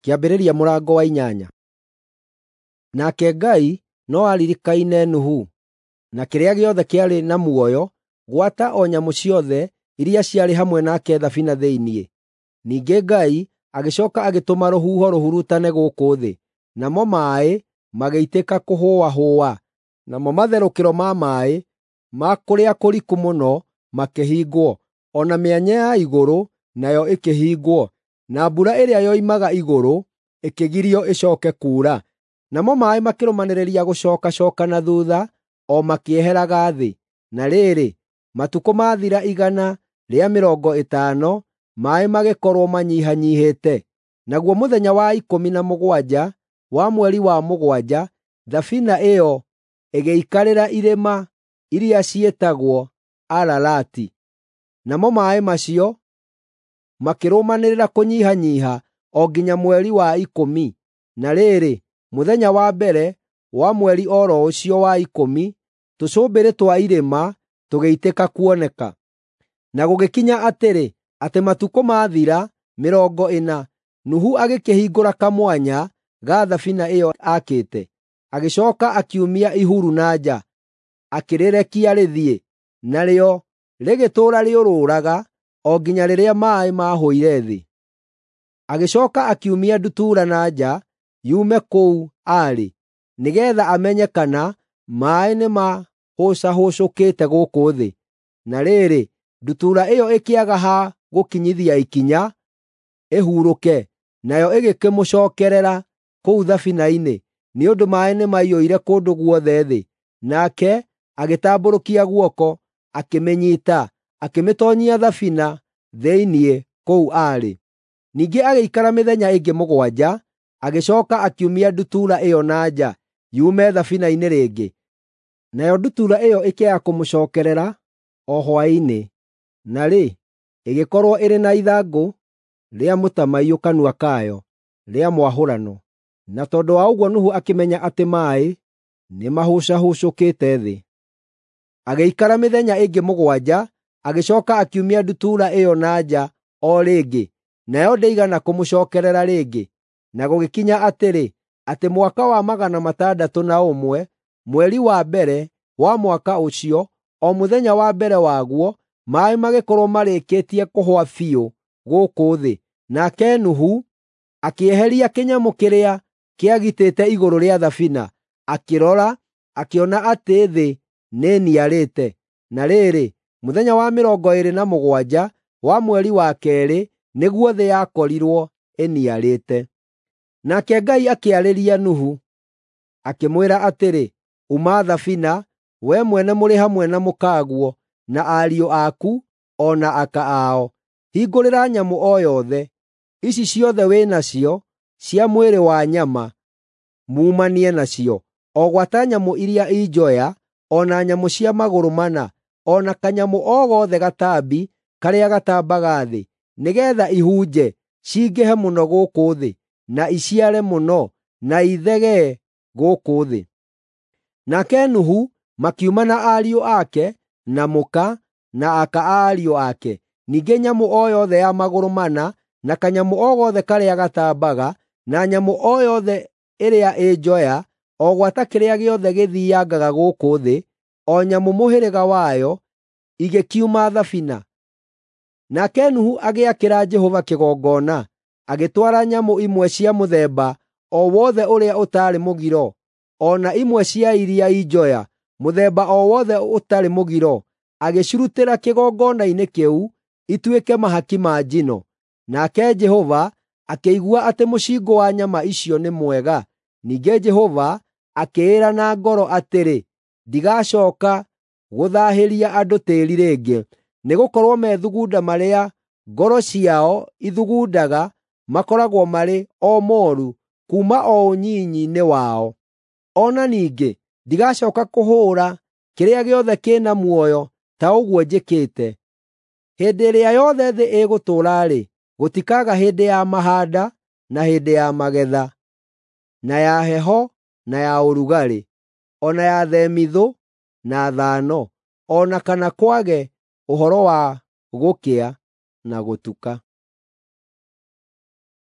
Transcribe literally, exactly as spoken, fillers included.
Kĩambĩrĩria mũrango wa inyanya. Nake Ngai no aaririkaine Nuhu, na kĩrĩa gĩothe kĩarĩ na muoyo, gwata o nyamũ ciothe iria ciarĩ hamwe nake thabina thĩinĩ. Ningĩ Ngai agĩcooka agĩtũma rũhuho rũhurutane gũkũ thĩ, namo maaĩ magĩitĩka kũhũahũa, namo matherũkĩro ma maaĩ ma kũrĩa kũriku mũno makĩhingwo, o na mĩanya ya igũrũ nayo ĩkĩhingwo, na mbura ĩrĩa yoimaga igũrũ ĩkĩgirio ĩcooke kuura. Namo maaĩ makĩrũmanĩrĩria gũcookacooka na thuutha o makĩeheraga thĩ. Na rĩrĩ, matukũ maathira igana rĩa mĩrongo ĩtano, maaĩ magĩkorwo manyihanyiihĩte. Naguo mũthenya wa ikũmi na mũgwanja wa mweri wa mũgwanja, thabina ĩyo ĩgĩikarĩra irĩma iria ciĩtagwo Ararati. Namo maaĩ macio makĩrũmanĩrĩra kũnyihanyiiha o nginya mweri wa ikũmi. Na rĩrĩ, mũthenya wa mbere wa mweri o ro ũcio wa ikũmi, tũcũmbĩrĩ twa irĩma tũgĩitĩka kuoneka. Na gũgĩkinya atĩrĩ, atĩ matukũ maathira mĩrongo ĩna, Nuhu agĩkĩhingũra kamwanya ga thabina ĩyo aakĩte, agĩcooka akiumia ihuru na nja, akĩrĩrekia rĩthiĩ, narĩo rĩgĩtũũra rĩũrũraga o nginya rĩrĩa maaĩ maahũire thĩ. Agĩcooka akiumia ndutura na nja yume kũu aarĩ, nĩgeetha amenye kana maaĩ nĩmahũcahũcũkĩte gũkũ thĩ. Na rĩrĩ, ndutura ĩyo ĩkĩaga ha gũkinyithia ikinya ĩhurũke, nayo ĩgĩkĩmũcookerera kũu thabina-inĩ, nĩ ũndũ maaĩ nĩmaiyũire kũndũ guothe thĩ. Nake agĩtambũrũkia guoko, akĩmĩnyiita, akĩmĩtoonyia thabina thĩinĩ kũu aarĩ. Ningĩ agĩikara mĩthenya ĩngĩ mũgwanja, agĩcooka akiumia ndutura ĩyo na nja yume thabina-inĩ rĩngĩ. Nayo ndutura ĩyo ĩkĩaga kũmũcookerera o hwaĩ-inĩ, na rĩ, ĩgĩkorwo ĩrĩ na ithangũ rĩa mũtamaiyũ kanua kayo rĩa mwahũrano. Na tondũ wa ũguo Nuhu akĩmenya atĩ maaĩ nĩmahũcahũcũkĩte thĩ. Agĩikara mĩthenya ĩngĩ mũgwanja, agĩcooka akiumia ndutura ĩyo na nja o rĩngĩ, nayo ndĩigana kũmũcookerera rĩngĩ. Na gũgĩkinya atĩrĩ, atĩ mwaka wa magana matandatũ na ũmwe, mweri wa mbere wa mwaka ũcio, o mũthenya wa mbere waguo, maaĩ magĩkorwo marĩkĩtie kũhũa biũ gũkũ thĩ. Nake Nuhu akĩeheria kĩnyamũ kĩrĩa kĩagitĩte igũrũ rĩa thabina, akĩrora, akĩona atĩ thĩ nĩĩniarĩte. Na rĩrĩ, mũthenya wa mĩrongo ĩĩrĩ na mũgwanja wa mweri wa keerĩ nĩguo thĩ yakorirwo ĩniarĩte. Nake Ngai akĩarĩria Nuhu, akĩmwĩra atĩrĩ, “Uma thabina, wee mwene mũrĩ hamwe na mũkaguo, na ariũ aku o na aka ao. Hingũrĩra nyamũ o yothe, ici ciothe wĩ nacio cia mwĩrĩ wa nyama, muumanie nacio, o gwata nyamũ iria i njoya, o na nyamũ cia magũrũ mana, o na kanyamũ o gothe gatambi karĩa gatambaga thĩ, nĩgeetha ihunje, cingĩhe mũno gũkũ thĩ, na iciare mũno, na ithegee gũkũ thĩ.” Nake Nuhu makiuma na ariũ ake, na mũka, na aka a ariũ ake. Ningĩ nyamũ o yothe ya magũrũ mana, na kanyamũ o gothe karĩa gatambaga, na nyamũ o yothe ĩrĩa ĩ njoya, o gwata kĩrĩa gĩothe gĩthiiangaga gũkũ thĩ, o nyamũ mũhĩrĩga wayo, igĩkiuma thabina. Nake Nuhu agĩakĩra Jehova kĩgongona, agĩtwara nyamũ imwe cia mũthemba o wothe ũrĩa ũtaarĩ mũgiro, o na imwe cia iria i njoya, mũthemba o wothe ũtarĩ mũgiro, agĩcirutĩra kĩgongona-inĩ kĩu ituĩke mahaki ma njino. Nake Jehova akĩigua atĩ mũcingũ wa nyama icio nĩ mwega. Ningĩ Jehova akĩĩra na ngoro atĩrĩ, “Ndigacooka gũthaahĩria andũ tĩĩri rĩngĩ, nĩgũkorwo methugunda marĩa ngoro ciao ithugundaga makoragwo marĩ o mooru kuuma o ũnyinyi-inĩ wao. O na ningĩ ndigacooka kũhũũra kĩrĩa gĩothe kĩ na muoyo ta ũguo njĩkĩte. Hĩndĩ ĩrĩa yothe thĩ ĩgũtũũra-rĩ, gũtikaaga hĩndĩ ya mahaanda na hĩndĩ ya magetha, na ya heho na ya ũrugarĩ, o na ya themithũ na thano, o na kana kwage ũhoro wa gũkĩa na gũtuka.”